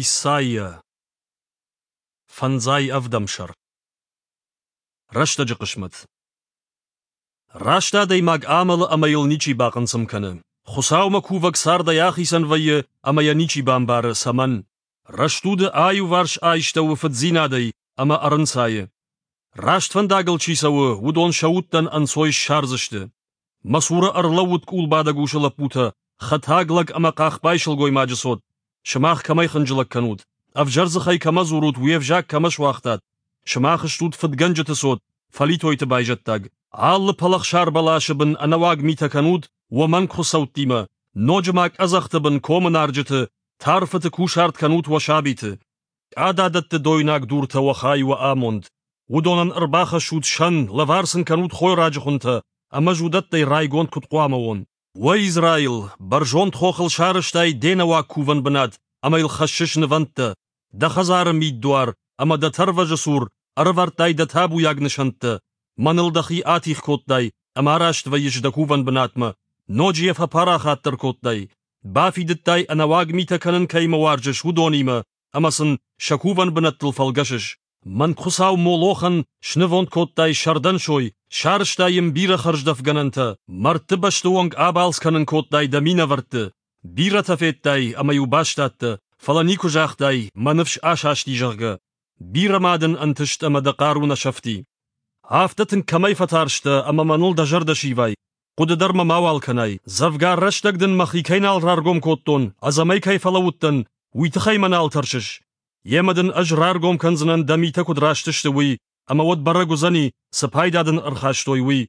Исайя. Фӕндзай ӕвдӕм сӕр. Рӕстӕджы хъысмӕт. Раст адӕймаг амӕлы ӕмӕ йыл ничи бахъынцъым кӕны. Хуыцаумӕ кувӕг цардӕй ахицӕн вӕййы ӕмӕ йӕ ничи бамбары, цӕмӕн. Рӕстуды аиуварс айстӕуы фыддзинадӕй ӕмӕ ӕрынцайы. Раст фӕндагыл чи цӕуы, уыдон сӕ удтӕн ӕнцой ссардзысты. Мӕ цуры ӕрлӕууыд къулбадӕг усы лӕппутӕ, хӕтаг лӕг ӕмӕ хъахбай сылгоймаджы цот. Сымах кӕмӕй хынджылӕг кӕнут? Ӕвзӕр дзыхӕй кӕмӕ дзурут, уе взаг кӕмӕ суагътат? Сымах стут фыдгӕнджыты цот, фӕлитойты байзӕддаг. Алы пӕлӕхсар бӕласы бын ӕнӕуаг митӕ кӕнут уӕ мӕнг хуыцӕуттимӕ, ноджы ма къӕдзӕхты бын комы нарджыты, тарфыты кусарт кӕнут уӕ сабиты. Къададӕтты дойнаг дуртӕ уӕ хай уӕ амонд. Уыдонӕн ӕрбахӕссут сӕн, лӕвар сын кӕнут хойраджы хуынтӕ, ӕмӕ ӕз уыдӕттӕй райгонд куыд хъуамӕ уон? Уӕ Израил, бӕрзонд хохыл сарӕзтай де нӕуаг кувӕн бынат ӕмӕ йыл хӕссыс нывӕндтӕ. Дӕ хӕдзары миддуар ӕмӕ дӕ тӕрвазы цур ӕрӕвӕрдтай дӕ табуйаг нысӕнттӕ. Мӕныл дӕхи атигъ кодтай ӕмӕ араст вӕййыс дӕ кувӕн бынатмӕ, ноджы йӕ фӕпарахатдӕр кодтай. Бафидыдтай, ӕнӕуаг митӕ кӕнын кӕимӕ уарзыс, уыдонимӕ ӕмӕ сын сӕ кувӕн бынӕттыл фӕлгӕсыс. Мӕнгхуыцау Молохӕн снывонд кодтай сӕрдӕн сой, сарӕзтай йын бирӕ хӕрздӕфгӕнӕнтӕ, мӕрдты бӕсты онг абалц кӕнын кодтай дӕ минӕвӕртты. Бирӕтӕ федтай ӕмӕ-иу бастадтӕ, фӕлӕ никуы загътай, мӕ ныфс асасти, зӕгъгӕ. Бирӕ ма дын ӕнтыст ӕмӕ дӕ хъару нӕ сӕфти. Афтӕ тынг кӕмӕй фӕтарстӕ ӕмӕ мӕныл дӕ зӕрдӕ сивай, хъуыды дӕр мӕ мауал кӕнай. Дзӕвгар рӕстӕг дын мӕхи кӕй нал раргом кодтон, ӕдзӕмӕй кӕй фӕлӕууыдтӕн, уый тыххӕй мӕ нал тӕрсыс? Йемӕ дын ӕз раргом кӕндзынӕн дӕ митӕ куыд раст сты, уый, ӕмӕ уӕд бӕрӕг уыдзӕни, цы пайда дын ӕрхастой, уый.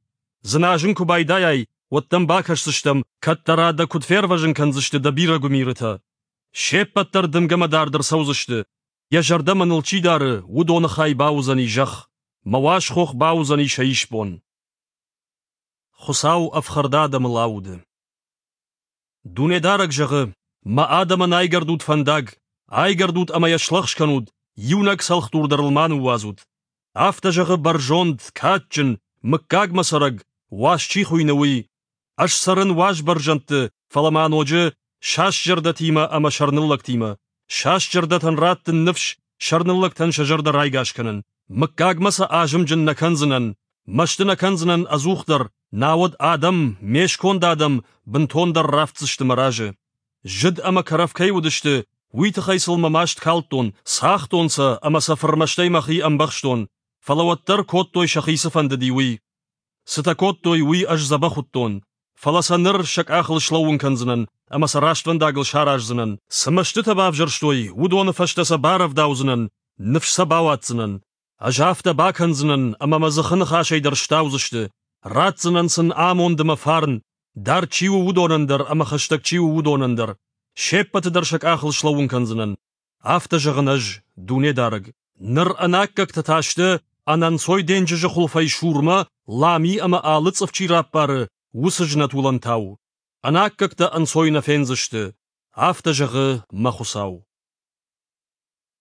Дзыназын куы байдайай, уӕд дӕм бакӕсдзыстӕм, кӕддӕра дӕ куыд фервӕзын кӕндзысты дӕ бирӕ гуымирытӕ. Се ппӕт дӕр дымгӕмӕ дард ӕрцӕудзысты. Йӕ зӕрдӕ мӕныл чи дары, уыдоны хай бауыдзӕни зӕхх. Мӕ уаз хох бауыдзӕни сӕ исбон. Хуыцау ӕфхӕрд адӕмыл ауды. Дунедарӕг зӕгъы: Мӕ адӕмӕн айгӕрдут фӕндаг, айгӕрдут ӕмӕ йӕ слӕгъз кӕнут, иунӕг цӕлхдур дӕр ыл ма ныууадзут. Афтӕ зӕгъы бӕрзонд, кадджын, мыггагмӕ цӕрӕг, уаз чи хуыйны, уый. Ӕз цӕрын уаз бӕрзӕндты, фӕлӕ ма ноджы саст зӕрдӕтимӕ ӕмӕ сӕрныллӕгтимӕ. Саст зӕрдӕтӕн раттын ныфс, сӕрныллӕгтӕн сӕ зӕрдӕ райгас кӕнын. Мыггагмӕ сӕ азымджын нӕ кӕндзынӕн, мӕсты нӕ кӕндзынӕн ӕдзухдӕр, науӕд адӕм, ме сконд адӕм, бынтондӕр рафтдзысты мӕ разы. Зыд ӕмӕ кӕрӕф кӕй уыдысты, уый тыххӕй сыл мӕ маст калдтон, цагътон сӕ ӕмӕ сӕ фырмӕстӕй мӕхи ӕмбӕхстон, фӕлӕ уӕддӕр кодтой сӕхи цы фӕндыди, уый. Цытӕ кодтой, уый ӕз дзӕбӕх уыдтон, фӕлӕ сӕ ныр сӕ къахыл слӕууын кӕндзынӕн ӕмӕ сӕ рӕствӕндагыл сараздзынӕн. Цы мӕстытӕ бавзӕрстой, уыдоны фӕстӕ сӕ барӕвдаудзынӕн, ныфс сӕ бауадздзынӕн. Ӕз афтӕ бакӕндзынӕн, ӕмӕ мӕ дзыхы ныхасӕй дӕр стаудзысты, ратдзынӕн сын амонд ӕмӕ фарн, дард чи у, уыдонӕн дӕр ӕмӕ хӕстӕг чи у, уыдонӕн дӕр. Се ппӕты дӕр сӕ къахыл слӕууын кӕндзынӕн. Афтӕ зӕгъын ӕз, Дунедарӕг. Ныр ӕнаккӕгтӕ та сты, ӕнӕнцой денджызы хуылфӕй сурмӕ, лами ӕмӕ алы цъыф чи раппары, уыцы знӕт уылӕнтау. Ӕнаккӕгтӕ ӕнцой нӕ фендзысты. Афтӕ зӕгъы мӕ Хуыцау.